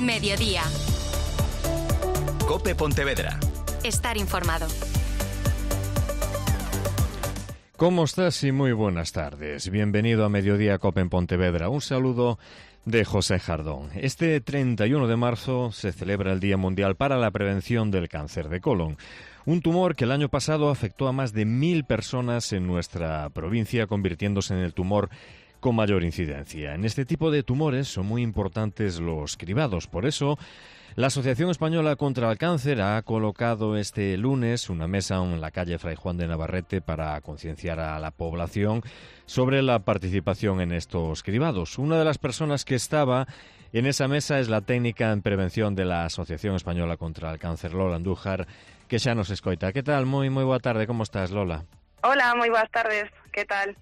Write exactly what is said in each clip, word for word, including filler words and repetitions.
Mediodía. COPE Pontevedra. Estar informado. ¿Cómo estás? Y muy buenas tardes. Bienvenido a Mediodía COPE en Pontevedra. Un saludo de José Jardón. Este treinta y uno de marzo se celebra el Día Mundial para la Prevención del Cáncer de Colon. Un tumor que el año pasado afectó a más de mil personas en nuestra provincia, convirtiéndose en el tumor con mayor incidencia. En este tipo de tumores son muy importantes los cribados. Por eso, la Asociación Española contra el Cáncer ha colocado este lunes una mesa en la calle Fray Juan de Navarrete para concienciar a la población sobre la participación en estos cribados. Una de las personas que estaba en esa mesa es la técnica en prevención de la Asociación Española contra el Cáncer, Lola Andújar, que xa nos escoita. Que tal? Moi, moi boa tarde, como estás, Lola? Hola, moi boas tardes, que tal?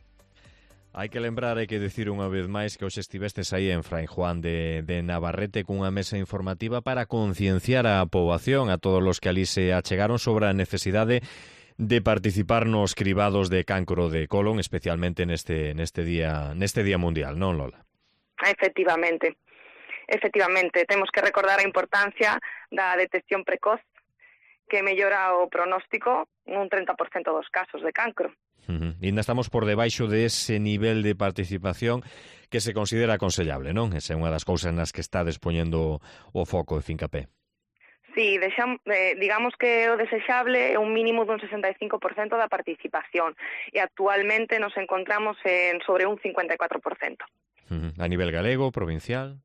Hai que lembrar, hai que decir unha vez máis que hoxe estivestes aí en Fray Juan de, de Navarrete cunha mesa informativa para concienciar a poboación, a todos os que ali se achegaron sobre a necesidade de participar nos cribados de cancro de colon, especialmente neste neste día neste día mundial, non, Lola? Efectivamente. Efectivamente, temos que recordar a importancia da detección precoz que mellora o pronóstico nun treinta por cento dos casos de cancro. Uh-huh. E ainda estamos por debaixo de ese nivel de participación que se considera aconsellable, non? Esa é unha das cousas nas que está despoñendo o foco de Fincapé. Sí, deixam, eh, digamos que o desexable é un mínimo dun sesenta e cinco por cento da participación e actualmente nos encontramos en sobre un cincuenta e catro por cento. Uh-huh. A nivel galego, provincial?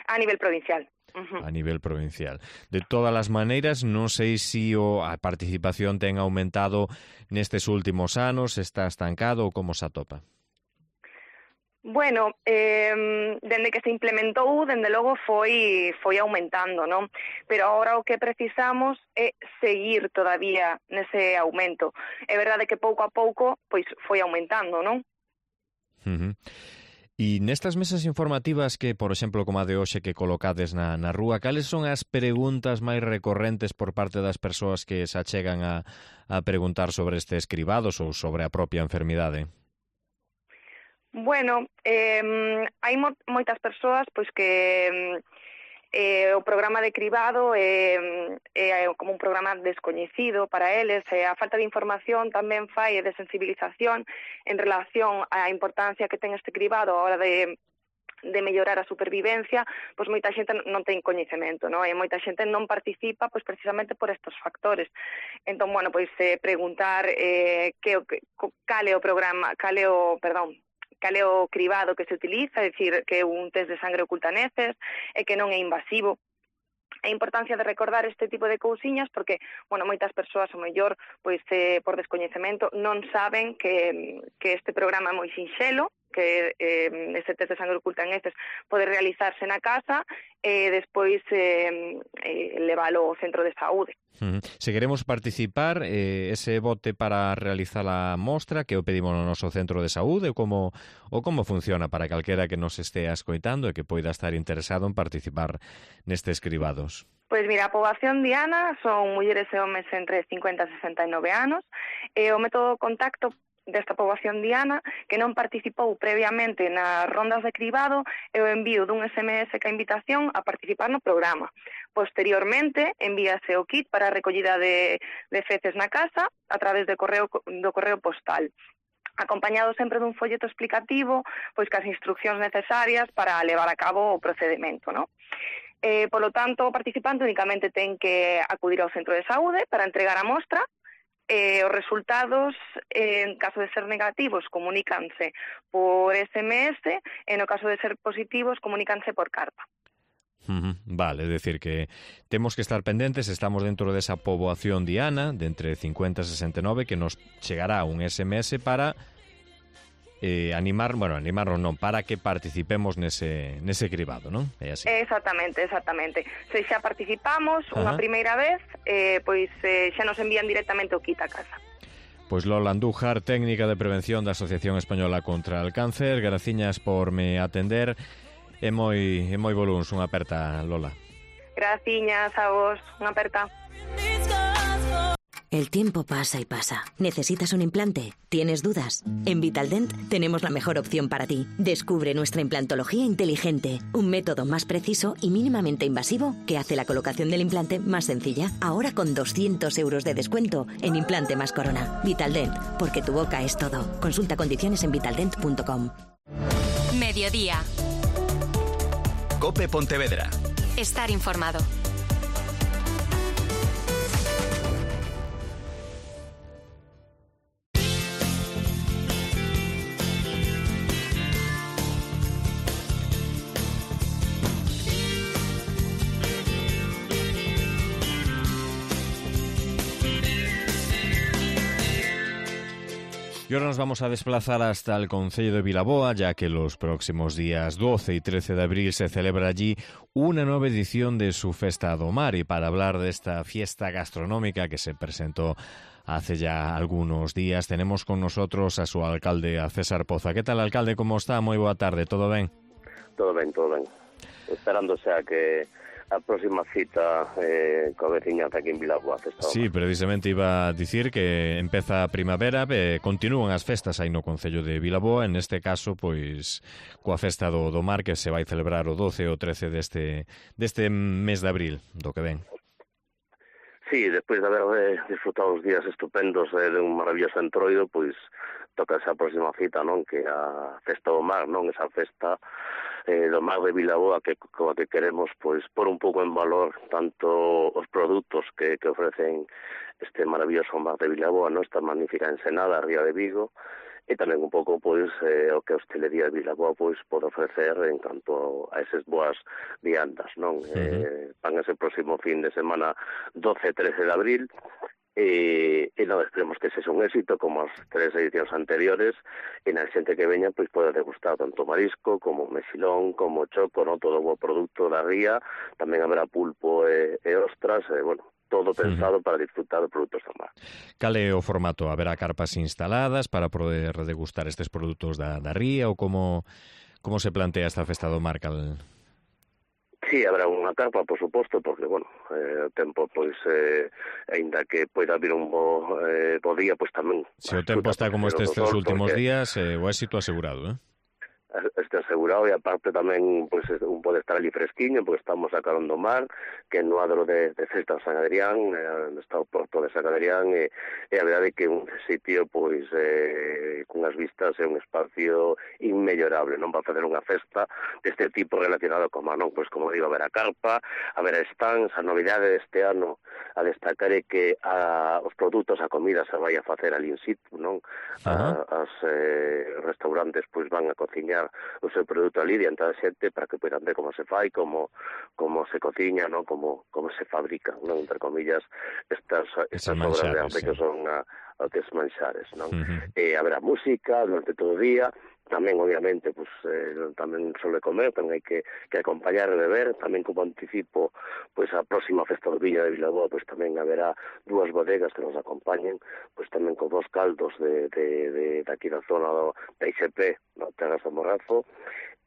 A nivel provincial. A nivel provincial. De todas as maneiras, non sei se o, a participación ten aumentado nestes últimos anos, está estancado ou como se atopa? Bueno, eh, dende que se implementou, dende logo foi foi aumentando, non? Pero agora o que precisamos é seguir todavía nese aumento. É verdade que pouco a pouco pois foi aumentando, non? Uh-huh. E nestas mesas informativas que, por exemplo, como a de hoxe que colocades na, na rúa, cales son as preguntas máis recorrentes por parte das persoas que se achegan a, a preguntar sobre estes cribados ou sobre a propia enfermidade? Bueno, eh, hai mo- moitas persoas pois que eh, o programa de cribado é, é como un programa descoñecido para eles, e a falta de información tamén fai de sensibilización en relación á importancia que ten este cribado a hora de de mellorar a supervivencia, pois moita xente non ten coñecemento, non? E moita xente non participa pois precisamente por estos factores. Entón, bueno, pois eh, preguntar eh, que, que cal é o programa, cal é o, perdón, cal é o cribado que se utiliza, é dicir, que é un test de sangre oculta neces e que non é invasivo. A importancia de recordar este tipo de cousiñas porque, bueno, moitas persoas, o mellor, pois eh, por descoñecemento, non saben que, que este programa é moi sinxelo, que eh, este test de sangre oculta en heces pode realizarse na casa e despois eh, eh, leválo ao centro de saúde. Uh-huh. Se queremos participar, eh, ese bote para realizar a mostra que o pedimos no noso centro de saúde ou como, ou como funciona para calquera que nos estea escoitando e que poida estar interesado en participar nestes cribados? Pois mira, a poboación diana son mulleres e homes entre cincuenta e sesenta e nove anos e o método de contacto desta poboación diana que non participou previamente nas rondas de cribado e o envío dun ese eme ese ca invitación a participar no programa. Posteriormente, envíase o kit para a recollida de, de feces na casa a través de correo, do correo postal, acompañado sempre dun folleto explicativo pois cas instruccións necesarias para levar a cabo o procedimento, non? Eh, polo tanto, o participante únicamente ten que acudir ao centro de saúde para entregar a mostra. Eh, os resultados, eh, en caso de ser negativos, comunícanse por ese eme ese e no caso de ser positivos, comunícanse por carta. Uh-huh. Vale, é dicir que temos que estar pendentes, estamos dentro desa poboación diana de entre cincuenta e sesenta e nove que nos chegará un ese eme ese para eh, animar, bueno, animarnos non, para que participemos nese, nese cribado, non? É así. Exactamente, exactamente. Se xa participamos unha Ajá. primeira vez, eh, pois eh, xa nos envían directamente o kit a casa. Pois Lola Andújar, técnica de prevención da Asociación Española contra el Cáncer, graciñas por me atender. É moi, é moi voluns, unha aperta, Lola. Graciñas a vos, unha aperta. El tiempo pasa y pasa. ¿Necesitas un implante? ¿Tienes dudas? En Vitaldent tenemos la mejor opción para ti. Descubre nuestra implantología inteligente, un método más preciso y mínimamente invasivo que hace la colocación del implante más sencilla. Ahora con doscientos euros de descuento en implante más corona. Vitaldent, porque tu boca es todo. Consulta condiciones en vitaldent punto com. Mediodía. COPE Pontevedra. Estar informado. Y ahora nos vamos a desplazar hasta el concello de Vilaboa, ya que los próximos días doce y trece de abril se celebra allí una nueva edición de su Festa do Mar. Y para hablar de esta fiesta gastronómica que se presentó hace ya algunos días, tenemos con nosotros a su alcalde, a César Poza. ¿Qué tal, alcalde? ¿Cómo está? Muy boa tarde. ¿Todo ben? Todo ben, todo ben. Esperándose a que a próxima cita eh, coa veciñanza aquí en Vilaboa. Sí, precisamente iba a dicir que empeza a primavera e continúan as festas aí no concello de Vilaboa, en este caso, pois, coa festa do, do mar que se vai celebrar o doce e o trece deste, deste mes de abril, do que ven. Sí, despois de haber eh, disfrutado os días estupendos eh, de un maravilloso entroido, pois toca esa próxima cita, non? Que a festa do mar, non? Esa festa eh, do mar de Vilaboa que coa que queremos pois por un pouco en valor tanto os produtos que, que ofrecen este maravilloso mar de Vilaboa, non? Esta magnífica ensenada, a ría de Vigo, e tamén un pouco pois eh, o que a hostelería de Vilaboa pois pode ofrecer en canto a esas boas viandas, non? Uh-huh. Eh, van ese próximo fin de semana doce e trece de abril. E, e non esperemos que sexa un éxito como as tres edicións anteriores e na xente que veña pois pode degustar tanto marisco como mexilón, como choco, non? Todo o produto da ría, tamén haberá pulpo e, e ostras, e, bueno, todo pensado uh-huh. para disfrutar de produtos do mar. Cal é o formato? Haberá carpas instaladas para poder degustar estes produtos da, da ría ou como, como se plantea esta festa do mar, cal... Sí, habrá unha carpa, por suposto, porque, bueno, eh, o tempo, pois, eh, ainda que poida vir un bo, eh, bo día, pois tamén... Se o tempo está como estes tres últimos porque... días, eh, o éxito asegurado, eh? Este asegurado, e aparte tamén pois un pode estar ali fresquiño porque estamos a carón do mar, que no adro de, de Festa San Adrián, eh, está o porto de San Adrián, e, e a verdade é que un sitio pois eh, cunhas vistas é un espacio inmellorable, non? Para facer unha festa deste tipo relacionado con mar, non? Pois como digo, a ver a carpa, a ver a stands, a novidade deste ano a destacar é que a, os produtos, a comida se vai a facer ali in situ, non? A, as eh, restaurantes pois van a cociñar o seu produto ali diante da xente para que poidan ver como se fai, como como se cociña, non? Como como se fabrica, non? Entre comillas, estas estas obras de arte sí. que son a, a que manxares, non? Uh-huh. E haberá música durante todo o día. Tamén, obviamente, pues, eh, tamén suele comer, tamén hai que, que acompañar e beber, tamén como anticipo, pues a próxima festa do Viña de Vilaboa, pues tamén haberá dúas bodegas que nos acompañen, pues tamén con dos caldos de, de, de, de aquí da zona do, da I C P, no Terras do Morrazo,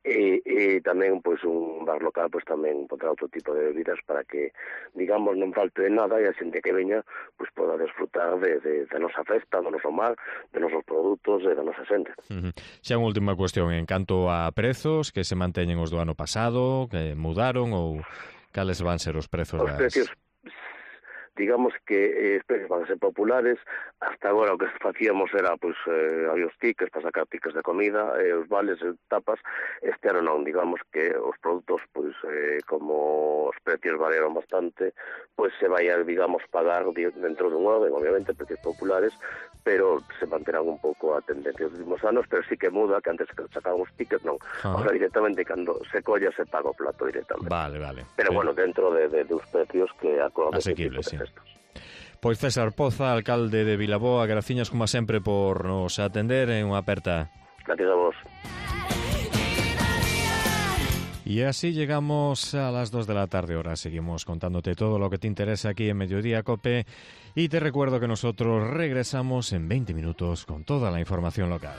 e, e tamén pois un bar local pois tamén pondrá outro tipo de bebidas para que, digamos, non falte de nada e a xente que veña pois poda desfrutar de, de, de nosa festa, do noso mar, de nosos produtos e da nosa xente. Uh-huh. Xa unha última cuestión, en canto a prezos, que se manteñen os do ano pasado, que mudaron ou cales van ser os prezos? Os das... precios, digamos que eh, precios van a ser populares. Hasta agora o que facíamos era, pois, eh, había os tickets para sacar tickets de comida, eh, os vales, e tapas. Este ano non, digamos que os produtos, pois, eh, como os precios variaron bastante, pois se vai a, digamos, pagar dentro dun orden, obviamente, precios populares, pero se manterán un pouco a tendencia dos últimos anos, pero sí que muda, que antes que sacaban os tickets, non. Ah. Ahora directamente, cando se colla, se paga o plato directamente. Vale, vale. Pero, sí. bueno, dentro de, de, de os precios que acordan asequibles, sí. Pois César Poza, alcalde de Vilaboa, graciñas como sempre por nos atender en unha aperta. Gracias a vos. Y así llegamos a las dos de la tarde. Ahora seguimos contándote todo lo que te interesa aquí en Mediodía Cope. Y te recuerdo que nosotros regresamos en veinte minutos con toda la información local.